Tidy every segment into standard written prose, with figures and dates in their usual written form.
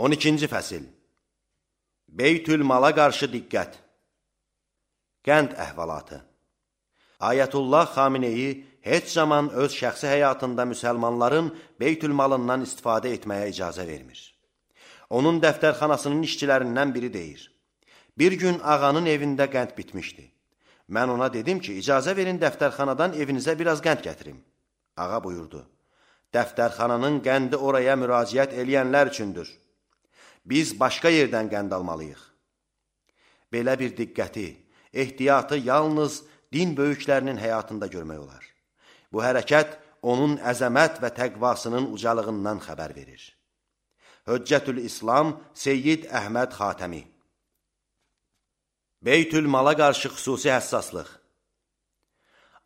12-ci fəsil. Beytülmala qarşı diqqət. Qənd əhvalatı. Ayətullah Xameneyi heç zaman öz şəxsi həyatında müsəlmanların beytülmalından istifadə etməyə icazə vermir. Onun dəftərxanasının işçilərindən biri deyir: Bir gün ağanın evində qənd bitmişdi. Mən ona dedim ki, icazə verin dəftərxanadan evinizə biraz qənd gətirim. Ağa buyurdu: Dəftərxananın qəndi oraya müraciət eləyənlər üçündür. Biz başqa yerdən qənd almalıyıq. Belə bir diqqəti, ehtiyatı yalnız din böyüklərinin həyatında görmək olar. Bu hərəkət onun əzəmət və təqvasının ucalığından xəbər verir. Höccətül İslam Seyyid Əhməd Xatəmi. Beytülmala qarşı xüsusi həssaslıq.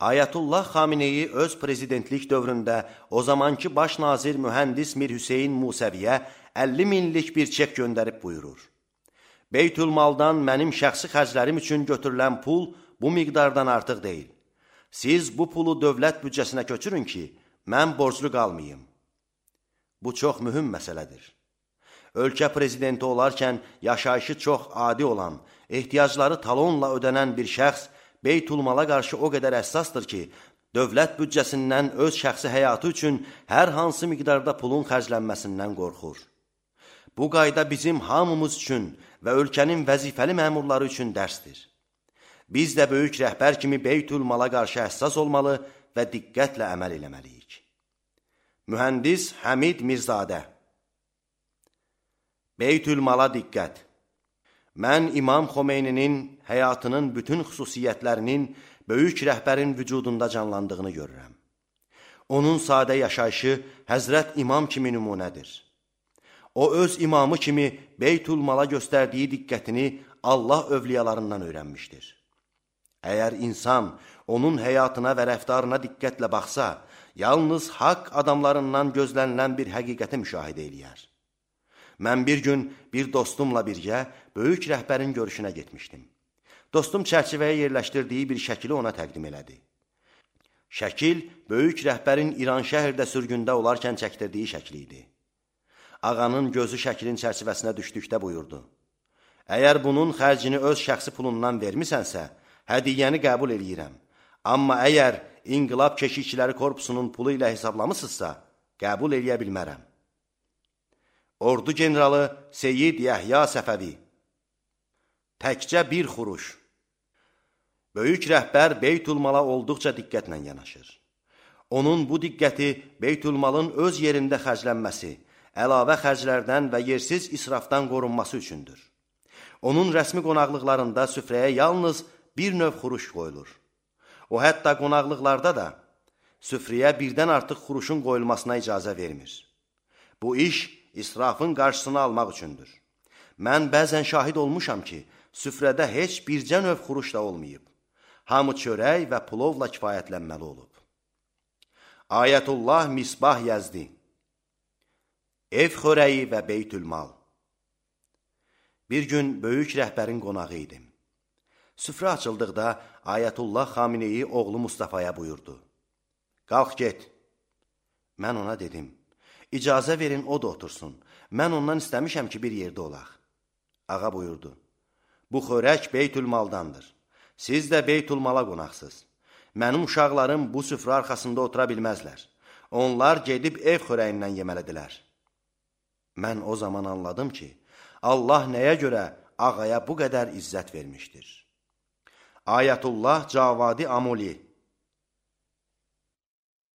Ayətullah Xameneyi öz prezidentlik dövründə o zamanki baş nazir mühəndis Mir Hüseyin Musəviyə 50 minlik bir çek göndərib buyurur: Beytülmaldan mənim şəxsi xərclərim üçün götürülən pul bu miqdardan artıq deyil. Siz bu pulu dövlət büdcəsinə köçürün ki, mən borclu qalmayım. Bu çox mühüm məsələdir. Ölkə prezidenti olarkən yaşayışı çox adi olan, ehtiyacları talonla ödənən bir şəxs Beytülmala qarşı o qədər həssasdır ki, dövlət büdcəsindən öz şəxsi həyatı üçün hər hansı miqdarda pulun xərclənməsindən qorxur. Bu qayda bizim hamımız üçün və ölkənin vəzifəli məmurları üçün dərsdir. Biz də böyük rəhbər kimi Beytülmala qarşı həssas olmalı və diqqətlə əməl eləməliyik. Mühəndis Həmid Mirzadə. Beytülmala diqqət. Mən İmam Xomeyninin həyatının bütün xüsusiyyətlərinin böyük rəhbərin vücudunda canlandığını görürəm. Onun sadə yaşayışı Həzrət İmam kimi nümunədir. O öz imamı kimi Beytülmala göstərdiyi diqqətini Allah övliyalarından öyrənmişdir. Əgər insan onun həyatına və rəftarına diqqətlə baxsa, yalnız haqq adamlarından gözlənilən bir həqiqəti müşahidə eləyər. Mən bir gün bir dostumla birgə böyük rəhbərin görüşünə getmişdim. Dostum çərçivəyə yerləşdirdiyi bir şəkili ona təqdim elədi. Şəkil, böyük rəhbərin İran şəhərdə sürgündə olarkən çəkdirdiyi şəkli idi. Ağanın gözü şəklin çərçivəsinə düşdükdə buyurdu: Əgər bunun xərcini öz şəxsi pulundan vermisənsə, hədiyyəni qəbul eləyirəm. Amma əgər İnqilab Keşikçiləri Korpusunun pulu ilə hesablamısınızsa, qəbul eləyə bilmərəm. Ordu generalı Seyyid Yəhya Səfəvi. Təkcə bir xuruş. Böyük rəhbər Beytülmala olduqca diqqətlə yanaşır. Onun bu diqqəti Beytülmalın öz yerində xərclənməsi, əlavə xərclərdən və yersiz israfdan qorunması üçündür. Onun rəsmi qonaqlıqlarında süfrəyə yalnız bir növ xuruş qoyulur. O hətta qonaqlıqlarda da süfrəyə birdən artıq xuruşun qoyulmasına icazə vermir. Bu iş israfın qarşısını almaq üçündür. Mən bəzən şahid olmuşam ki, süfrədə heç bircə növ xuruş da olmayıb. Hamı çörək və pulovla kifayətlənməli olub. Ayətullah Misbah Yəzdi. Ev xörəyi və Beytülmal. Bir gün böyük rəhbərin qonağı idim. Süfrə açıldıqda Ayətullah Xameneyi oğlu Mustafaya buyurdu: Qalx get. Mən ona dedim: İcazə verin o da otursun. Mən ondan istəmişəm ki, bir yerdə olaq. Ağa buyurdu: Bu xörək Beytülmaldandır. Siz də Beytülmala qonaqsınız. Mənim uşaqlarım bu süfrə arxasında otura bilməzlər. Onlar gedib ev xörəyindən yeməlidirlər. Mən o zaman anladım ki, Allah nəyə görə ağaya bu qədər izzət vermişdir. Ayətullah Cavadi Amoli.